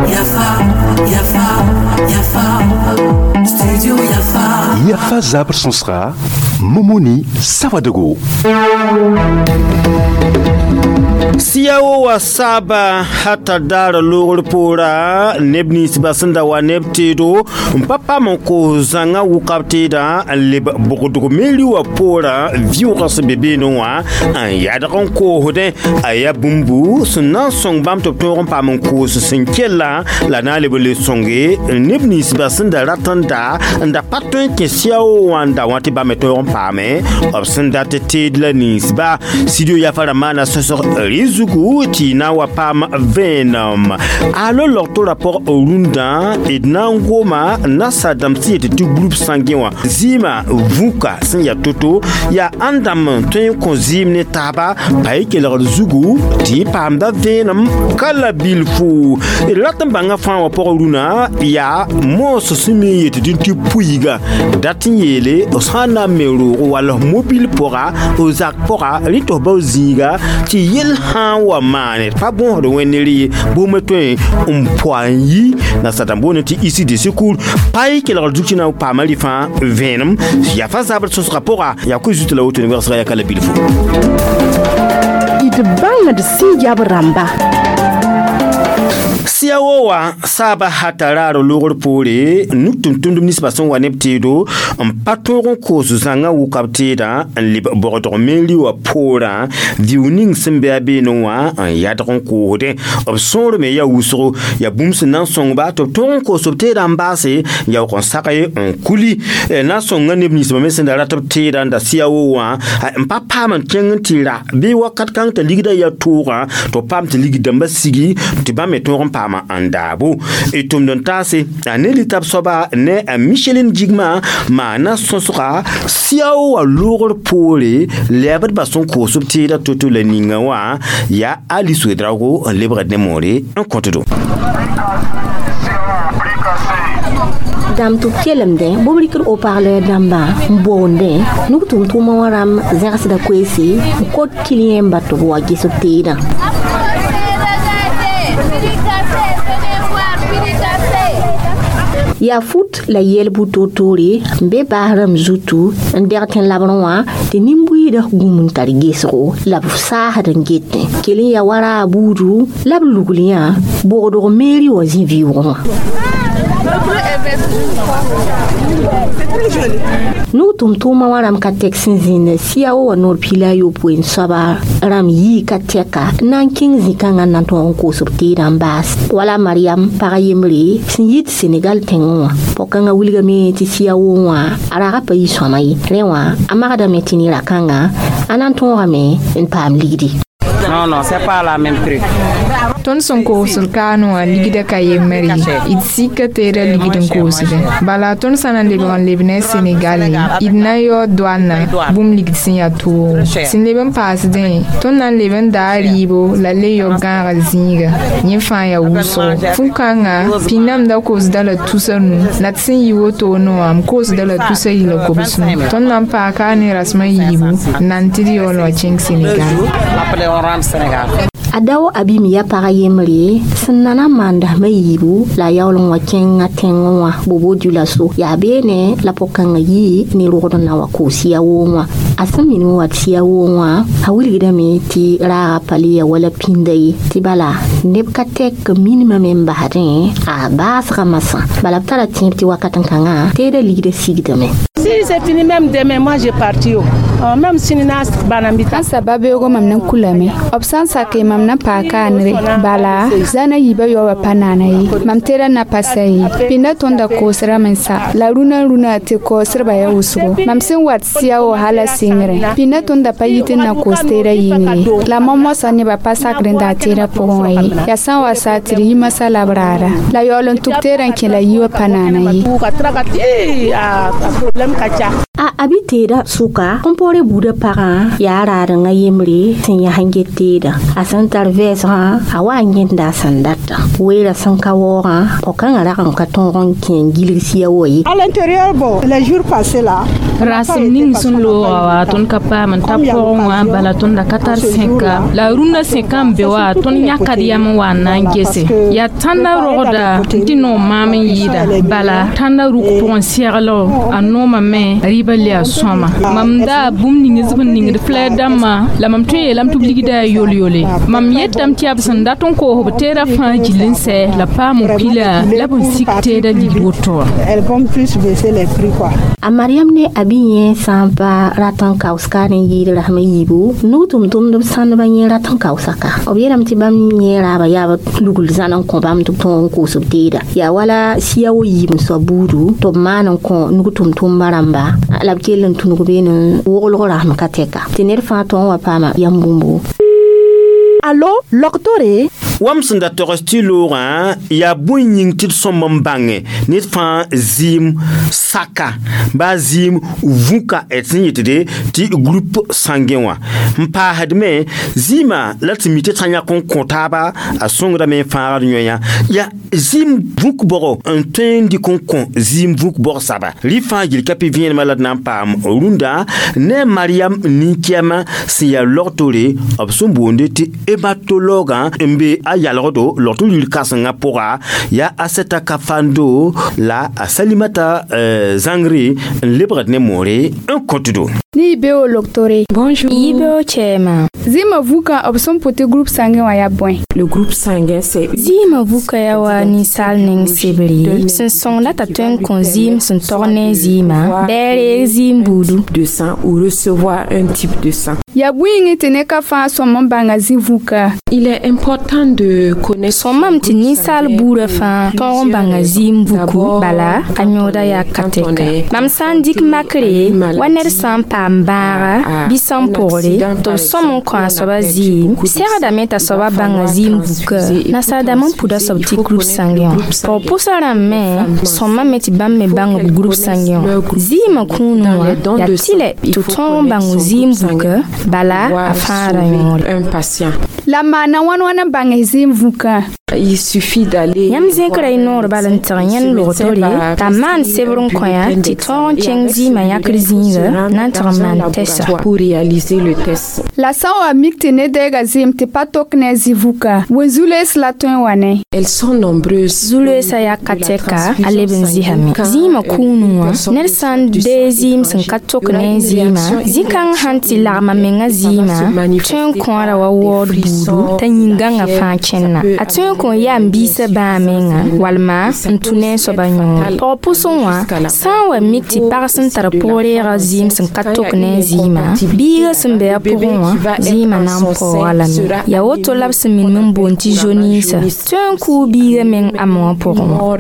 Yafa, Yafa, Yafa, Studio Yafa. Yafa zabr sõsga Momoni Sawadogo. Siyawo wa saaba hata daara loogr poora neb ninsbã sẽn da wa neb teedo n pa paam n koos zãngã wʋka b teedã n leb bʋgdg meri wã poorã vɩʋʋgã sẽn be beene wã n yadg n koosdẽ a yaa bũmbu sẽn na n sõng bãmb tɩ b tõog n paam n koos sẽn kellã la na n leb n le sõnge neb ninsbã sẽn da rat n da n da pa tõe n kẽ siao wã n da wã tɩ bãmb me tõog n paame b sẽn dat teed la ninsba studio yafa rãmb maana sõsg rɩ zugu tɩ na n wa paam vẽenem alo logtora pʋg rũndã d na n goma nasa dãmb sẽn yet tɩ group sãngẽ wã zɩɩmã vũka sẽn yaa to-to yaa ãn dãmb n tõe n kõ zɩɩm ne taaba pa y kelgr zugu tɩ y paamda vẽenem ka la bilfu d rat n bãnga fãa wã pʋgã rũnã yaa moos sẽn me n yet dĩn tɩ puiga dat n yeele f sã n na n me roogo wall f mobil pʋga f zak pʋga rẽ tɩ f bao zĩiga tɩ yell sã n wa maane pa bõosd wẽnner ye bʋʋm tõe n poa n yi nasadãmb boonẽ tɩ isi de secours pa y kelgr zug tɩ na n paama rɩ fãa vẽenem yaa fa zabr sõsgã pʋga yaa koe zut la woto ne wɛgsga yaa ka la bilfo d bãngd sẽn yab rãmba. Siawo wã saaba hata raar loogr poore nuk tʋm-tʋmdb ninsbã sẽn wa neb teedo n pa tõog n koos zãngã wʋka b teedã n leb bogdg meri wã poorã vɩʋ ning sẽn be a beene wã n yadg n koosdẽ b sõor me yaa wʋsgo yaa bũmb sẽn na n sõngba tɩ b tõog n koos b teedã n baase n yaoog n sage n kuli na n sõnga neb ninsbã me sẽn da rat b teedã n da siao wã n pa paam n kẽng n tɩ ra bɩ wakat kãng t'a ligdã yaa toogã tɩ b paam tɩ ligd dãmbã sigi tɩ bãmb me tõog n paama n daabo y tʋmd n taase a ne litab soaba ne a Michelin Jigma maana sõsga siao wã loogr poore lɛɛbdbã sẽn koos b teedã to-to la ninga wã yaa Ali Ouédraogo n lebgd ne moore n kõtdo. Dãmb tɩ b kelemdẽ bʋb rɩkd haut-parleur dãmbã n boondẽ nug tʋm-tʋʋmã wã rãmb zẽgsda koeese n kot kiliyẽmba tɩ b wa ges b teedã. Yaa fut la yɛl-bʋ toor-toore n be baas rãmb zutu n dɛg tẽn-labrẽ wã tɩ nin-buiidã gũm n tar gesgo la b saasd n getẽ kell n ya wa raab buudu la b lugl yã bogdg meeri wã zĩ vɩʋʋgẽ wã. Nug tʋm-tʋʋmã wã rãmb ka tɛk sẽn zĩnd siao wã noor piila a yopoe n soaba rãmb yii ka tɛka n na n kẽng zĩ-kãngã n na n tõog n koos b teedã n baas wala Mariam pag yembre sẽn yit Senegal tẽngẽ wã pɔg-kãngã wilgame tɩ siao wã a raga pa yi sõama ye rẽ wã a magdame tɩ ne ra-kãngã a na n tõogame n paam ligdi. Non, non, c'est pas la même prix. Tõnd sẽn koosd kaane wã ligdã ka yembre ye d sika teedã ligd n koosdẽ bala tõnd sã na n lebg n leb ne a Senegal d na n yaood doalnã bũmb ligd sẽn yaa toogo sẽn leb n paasdẽ tõnd na n leb n daa rɩɩbo la le yao gãaga zĩiga yẽ fãa yaa wʋsgo fu-kãngã pĩnname da koosda la tusa nu la d sẽn yi wotone wã m koosda la tusa yila kobsnu tõnd na n paaka ne rasmã yiibu n na n tɩ d yaool wã kẽng Senegal. Après, on rentre Sénégal. A dao abim ya pag yembre sẽn na na n maan dasmã yiibu la a yaool n wa kẽnga tẽngẽ wã bobo diola-so yaa beene la pʋg-kãngã yii ne rogd n na wa koos sia woong wã a sẽn min n wat sia woong wã a wilgdame tɩ raaga pa le ya wala pĩnda ye tɩ bala neb ka tɛk minimame n basdẽ a baasgã masã bala b tara tẽeb tɩ wakat n kãngã teedã ligdã sigdame. Si c'est fini même demain, moi j'ai parti. Même si na banambita. Sã sababeoogo mam na n kulame b sã n sake mam na n paag kaanre bala zãna yiibã yaoobã pa naana ye mam teedã na pa sa ye pĩnda tõnda koosrame n sa la rũnã rũnã tɩ kaoosdbã yaa wʋsgo mam sẽn wat sɩa wã hala sɩngrẽ pĩnda tõnda pa yit n na koos teedã yĩng ye la moa-moasã nebã pa sakd n daa teedã pʋgẽ wã ye yaa sã n wa saa tɩ d yi masã la b raara la yaool n tʋk teedã n kẽ la yi wã pa naana ye. A abi teedã sʋka kõmpore buudã pagã yaa raadengã yembre sẽn yas n get teedã a sẽn tar vɛɛsgã a wa n yẽnda a sẽn data weerã sẽn ka waoogã pɔg-kãngã rag n ka tõog n kẽ n gilg sia wa ye. À l'intérieur, bon, les jours passés là, Rasem ning sẽn looga wã tõnd ka paam n ta pʋgẽ wã bala tõnd da ka tar sẽka la rũndã sẽka n be wã tõnd yãkad yam n wa n na n gese yaa tãnda rogda n tɩ noom maam n yɩɩda bala tãnda rʋk pʋgẽ seglgo a noomame rɩɩbã le a sõama mam daa bũmb ning b n ningd flɛr dãmbã la mam tõe n yeelame tɩ b ligda yaa yol-yole mam yetame tɩ yaa b sẽn dat n koos b teedã fãa gill n sɛ la paam n pila la b n sik teedã ligd woto wã. A Mariam ne a bi yẽ sã n pa rat n kaooska ne yɩɩd rasem a yiibu nug tʋm-tʋmdb sãndbã yẽ rat n kaoosaka b yeelame tɩ bãmb yẽ raaba yaa b lugl zãn n kõ bãmb tɩ b tõog n koos b teeda yaa wala sia wo yiib n soab buudu tɩ b maan n kõ nug tʋm-tʋmba rãmba la b kell n tũnug beene woglg rasem ka tɛka tɩ ned fãa tõog n wa paama yam bũmbu. Allo, loktore? Wam sẽn da togs tɩ loogã yaa bõe yĩng tɩ d sõmb n bãnge ned fãa zɩɩm saka baa zɩɩm vũka d sẽn yetde tɩ groupe sanguin wã n paasdme zɩɩmã la tɩ mi tɩ sã yãk n kõ taaba a sõngdame n fãagd yõe yaa zɩɩm vũk bɔgo n tõe n dɩk n kõ zɩɩm vũk bɔg saba rɩ fãa gil ka pɩ vẽenemã la d na n paam rũndã ne Mariam nin-kɛɛmã sẽn yaa logtore b sẽn boonde tɩ hématologue n be a yalgdo logto ril kãsengã pʋga yaa Aseta Kafando la a Salimata Zãngre n lebgd ne moore n kõtdo. Ni beo loktore. Bonjour. Yibeo chɛɛma. Zɩɩmã vũkã b sẽn pʋ tɩ groupe sanguin wã yaa bõe? Le groupe sanguin c'est Zɩɩmã vũka yaa wa ninsaal neng sebre sẽn sõngda t'a tõe n kõ zɩɩm sẽn tog ne zɩɩmã bɩ a reeg zɩɩm buudu. De sang ou recevoir un type de sang. Yaa bõe yĩngẽ tɩ ned ka fãa sõm n bãnga zĩ vũka? Il est important de connaître Sõmame tɩ ninsaal buudã fãa tõog n bãnga zɩɩm vuku bala a yõoda yaa ka tɛka mam sã n dɩk makre wa ned sã n paam bãaga bɩ sã n pʋgre tɩ b sõm n kõ a soaba zɩɩm segdame t'a soaba bãnga zɩɩm vuka nasaadãmb n puda soab tɩ groupe sanguin wã pɔg pʋsã rãmb me sõmame tɩ bãmb me bãng b groupe sanguin wã zɩɩmã kũunẽ wã yaa tɩlɛ tɩ tõog n bãng zɩɩm vuka bala a fãada yõore. Un patient. La maana wãn wãn n bãng zɩɩm vũkã? Il suffit d'aller. Yãmb zẽkra y noor bal n tɩg yẽnd logtore t'a maan sebr n kõ-yã tɩ tõog n kẽng zɩɩmã yãkr zĩiga na n tɩg n maan tɛsa. Pour réaliser le test. La sã n wa mik tɩ ned deega zɩɩm tɩ pa tok ne a zĩ vũka wẽn-zu-loees la tõe n wa ne? Elles sont nombreuses. Zu-loeesã yaa ka tɛka a leb n zɩsame zĩimã kũunẽ wã ned sã n dee zɩɩm sẽn ka tok ne a zɩɩmã zĩ-kãng sãn tɩ lagma menga zɩɩmã tõe n kõora wa waood buudu t'a yĩn-gãngã fãa kẽnna a tõe n kõn yaa n biisã bãa menga walma n tũ ne a soaba yõore pɔg pʋsẽ wã sã n wa mik tɩ pag sẽn tar pʋg-reegã zɩɩm sẽn ka tok ne a zɩɩmã biigã sẽn be a pʋgẽ wã zɩɩmã na n paooga lame yaa woto la b sẽn minim n boond tɩ jaunisse tõe n kʋʋ biigã meng a mengã pʋgẽ wã.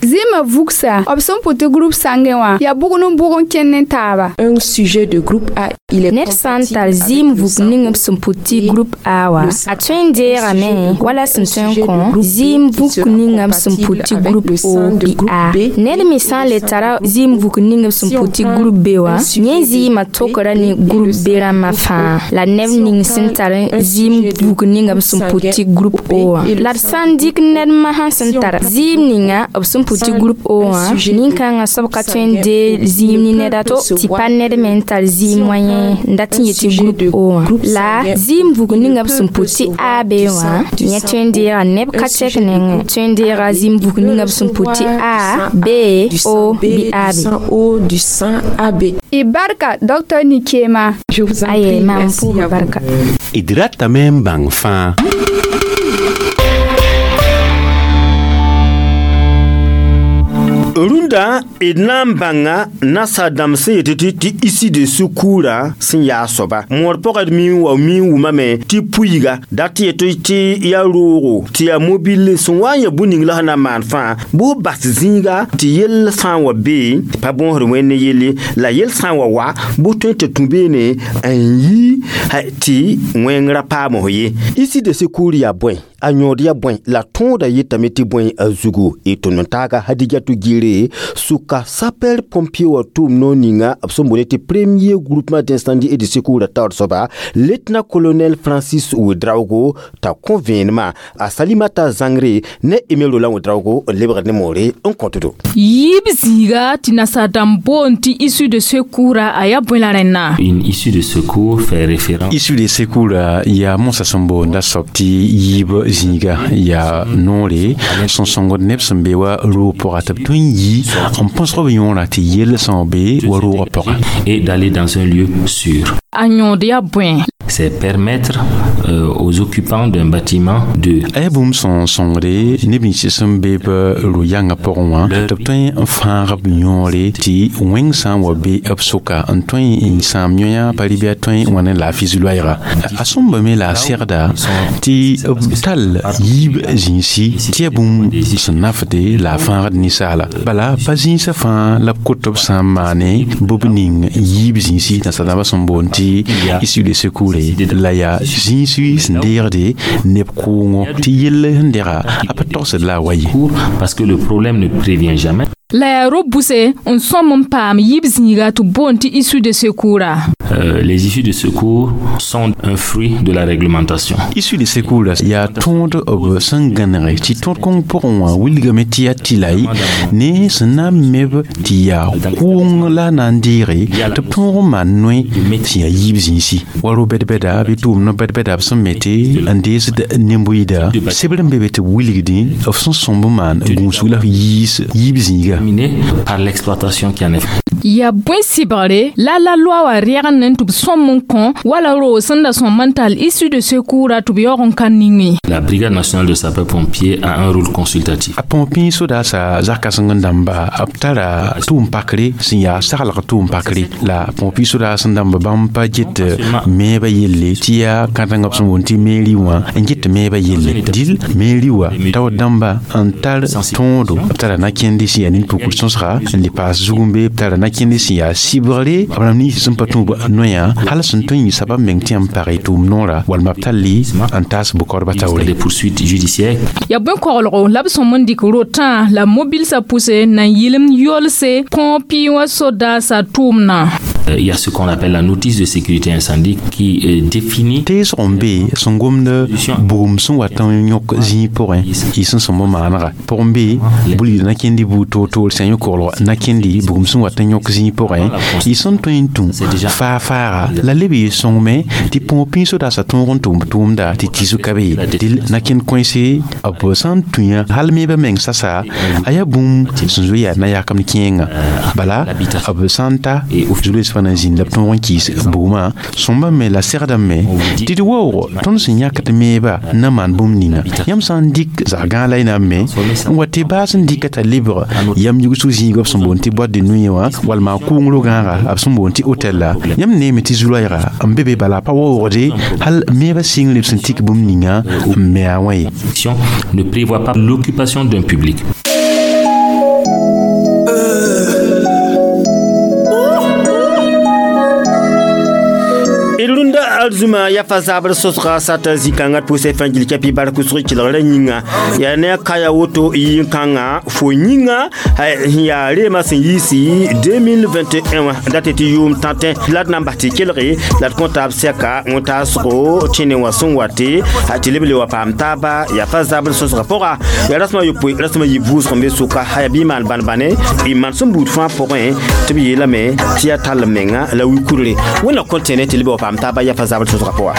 Zɩɩmã vugsa b sẽn pʋ tɩ groupe sanguin wã yaa bʋgd n bʋg n kẽnd ne taaba. Un sujet de groupe A, il est Ned sã n tar zɩɩm vuk ning b sẽn pʋ tɩ groupe A wã a tõe n deegame wala sẽn tõe n kõ zɩɩm vuk ninga b sẽn pʋ tɩ groupe O bɩ A ned me sã n le tara zɩɩm vuk ning b sẽn pʋ tɩ groupe B wã yẽ zɩɩmã tokra ne groupe B rãmbã fãa la neb ning sẽn tar zɩɩm vuk ninga b sẽn pʋ tɩ groupe O wã la d sã n dɩk ned masã sẽn tar zɩɩm ninga b sẽn pʋ tɩ groupe O wã nin-kãngã soab ka tõe n dee zɩɩm ne ned a to tɩ pa ned me n tar zɩɩm wã yẽ n dat n yetɩ groupe O wã la zɩɩm vuk ninga b sẽn pʋ tɩ A B wã yẽ tõe n deega neb ka tɛk nengẽ tõe n deega zɩɩm vuk ninga b sẽn pʋ tɩ A B O bɩ A B. O du sang AB. Y barka docteur Nikema. Je vous en Aye, prie, mam merci pʋʋga à vous. barka. D ratame n bãng fãa. Rũndã d na n bãnga nasaadãmb sẽn yetɩ tɩ tɩ isi de sukura sẽn yaa soaba moor pʋgã d mi wa mi n wʋmame tɩ puiiga dat yetɩ tɩ yaa roogo tɩ yaa mobile sẽn wa n ya bũmb ning la sẽn na n maan fãa bʋ bas zĩiga tɩ yell sã n wa bee tɩ pa bõosd wẽnd ne yelle la yell sã n wa wa bʋ tõe tɩ tũ beene n yi tɩ wẽng ra paam f ye issue de secours yaa bõe a yõod yaa bõe la tõoda yetame tɩ bõe a zugu y tʋm n taaga Hadijatu Gire sʋka sapeur pompier wã tʋʋm noor ninga b sẽn boone tɩ premier groupement d'incendie et de secours taoor soaba lieutenant colonel Francis Ouedraogo t'a kõ vẽenemã a Salimata Zãngre ne Aimé Roland Ouedraogo n lebgd ne moore n kõtdo. Yiib zĩiga tɩ nasaar-dãmb boond tɩ issue de secours a yaa bõe la rẽnna? Une issue de secours fait référence. Issue de secours yaa mosã sẽn boonda soab tɩ yiib zĩiga yaa noore sẽn sõngd neb sẽn be wa roog pʋga tɩ b tõe n yi n põsg b yõorã tɩ yell sã n be wa roogã pʋga. Et d'aller dans un lieu sûr. A yõod yaa bõe? C'est permettre aux occupants d'un bâtiment de A yaa bũmb sẽn sõngde neb nins sẽn be b ro-yãngã pʋgẽ wã tɩ b tõe n fãag b yõore tɩ wẽng sã n wa be b sʋka n tõe n sãam yõyã pa rɩ bɩ a tõe n wa ne laafɩ zu-loɛɛga a sõmbame la a segda tɩ b tall yiib zĩnsi tɩ yaa bũmb sẽn nafde la a fãagd ninsaala bala pa zĩnsã fãa la b kot b sã n maane bɩ b ning yiib zĩnsi nasaar-dãmbã sẽn boond tɩ issue de secours la yaa zĩisi sẽn deegde neb kʋʋngɔ tɩ yell sẽn dega a pa togsd la a wa ye. Parce que le problème ne prévient jamais. La yaa ro-buse n sõm n paam yiib zĩiga tɩ b boond tɩ issue de secours. Les issues de secours sont un fruit de la réglementation. Issue de secours yaa tõod b sẽn gãnege tɩ tõod kõng pʋgẽ wã wilgame tɩ yaa tɩlay ne sẽn na n meb tɩ yaa kʋʋng la a na n deege tɩ b tõog n maan noe sẽn yaa yiib zĩisi wa ro-bɛd-bɛda bɩ tʋʋmd bɛd-bɛda b sẽn mete n deesd nembuɩda sebr n be be tɩ b wilgdẽ b sẽn sõmb n maan gũusg la f yiis yiib zĩiga. Par l'exploitation qui en est. Yaa bõe sɩbgre la loa wã rɛgend n tɩ b sõm n kõ wala roog sẽn da sõm n tall issue de secours tɩ b yaoog n ka ninge. La Brigade nationale de sapeurs-pompiers a un rôle consultatif. A põpẽ sodaasa zak-kãseng n dãmba b tara tʋʋm pakre sẽn yaa saglg tʋʋm pakre la põpẽ sodaas n dãmba bãmb pa get meebã yelle tɩ yaa kãtengã b sẽn boond tɩ mairie wã n get meebã yelle dɩl mairie wã taoor dãmba n tar tõodo b tara na-kẽnde sẽn yaa nin-pukr sõsga n le paas zugum-be b tara na-kẽnde sẽn yaa sɩbgre b rãmb nins sẽn pa tũub noyã hal sẽn tõe n yɩ sabab meng tɩ yãmb page tʋʋm noora walma b talli n taas bʋ-kaoodbã taoore. Des poursuites judiciaires. Yaa bõe koglgo la b sõm n dɩk rotã la mobilsã pʋse na n yɩlem yolse põpɩ wã sodaasã tʋʋmdã. Il y a ce qu'on appelle la notice de sécurité incendie qui définit teesg n be sẽn gomd bugum sẽn wat n yõk zĩig pʋgẽ y sẽn sõmb maanega pʋgẽ be bulgd na-kẽndi buud toor-toor sã yõ koglg na-kẽndi bugum sẽn wat n yõk zĩig pʋgẽ y sẽn tõe n tũ faa-faaga la leb yɩ sõngme tɩ põog sodaasã tõog n tʋm tʋʋmda tɩ tiisg ka be dɩl na-kẽnd kõese b sã n tũ yã hal meebã meng sasa a yaa bũmb sẽn zoe yaa na-yakemd kẽenga bala b sã n ta zu-loees fãa na n zĩnd la b tõog n kɩɩs bugmã sõmbã me la segdame tɩ d waoog tõnd sẽn yãkd meebã na maan bũmb ninga yãmb sã n dɩk zag-gãag la y na n me n wa tɩ baas n dɩka t'a lebg yam yigsg zĩiga b sẽn boond tɩ boîte de nuit wã walma kʋʋng ro-gãaga b sẽn boond tɩ hôtel la yãmb neeme tɩ zu-loɛɛga n be be bala pa waoogde hal meebã sɩngre b sẽn tik bũmb ninga n me a wã ye. Ne prévoit pas l'occupation d'un public. Rũndã arzũma yafa zabr sõsga sata zĩ-kãngã pʋsẽ fãa gil kɛpɩ bark sg kelgrã yĩnga yaa ne a kaya woto yĩn-kãngã fo yĩnga sẽn yaa reemã sẽn yiisi 2021 wã dat tɩ yʋʋm tãtẽ la d na n bas tɩ kelge la d kõ taab sɛka wẽntaasgo tẽne wã sẽn wate tɩ leb le wa paam taaba yafa zabr sõsgã pʋga yaa rasem a yopoe rasem a yi vʋʋsg n be sʋka yaa bɩ maan bãn-bãne y maan sẽn buud fãa pʋgẽ tɩ b yeelame tɩ yaa tall menga la wi-kurre wẽnna kõn tẽne tɩ leb wa paam taaba yafa zabr sõsgã pʋga.